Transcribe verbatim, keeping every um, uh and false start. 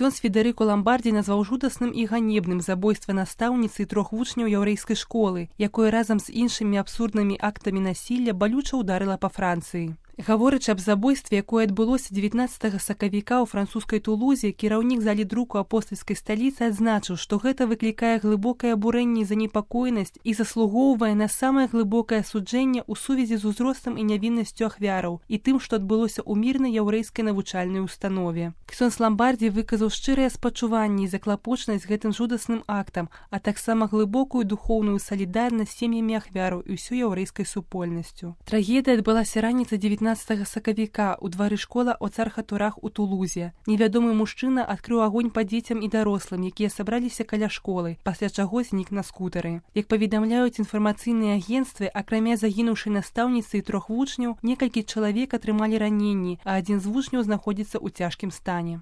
Ксёндз Федэрыка Ламбардзі назваў жудасным і ганебным забойства настаўніцы і трох вучняў яўрэйскай школы, якое разам з іншымі абсурднымі актамі насілля балюча ударыла па Францыі. Гаворачы аб забойстве, якое адбылося дзевятнаццатага сакавіка ў французскай Тулузе, кіраўнік залідруку апостальскай сталіцы адзначыў, што гэта выклікае глыбокае абурэнне і занепакоенасць і заслугоўвае на самае глыбокае асуджэнне ў сувязі з узростам і нявіннасцю ахвяраў і тым, што адбылося ў мірнай яўрэйскай навучальнай установе. Ксёндз Ламбардзі выказаў шчырыя спачуванні і заклапочанасць гэтым жудасным актам, а таксама глыбокую духоўную салідарнасць з сем'ямі ахвяраў і ўсёй яўрэйскай супольнасцю. Трагедыя адбылася раніцай дзевятнаццатага сакавіка ў двары школа о Цар-Хатурах у Тулузе. Невядомы мужчына адкрыў агонь па дзецям і дарослым, якія сабраліся каля школы, пасля чаго знік на скутары. Як паведамляюць інфармацыйныя агенцтвы, акрамя загінуўшай настаўніцы і трох вучняў, некалькі чалавек атрымалі раненні, а адзін з вучняў знаходзіцца ў цяжкім стане.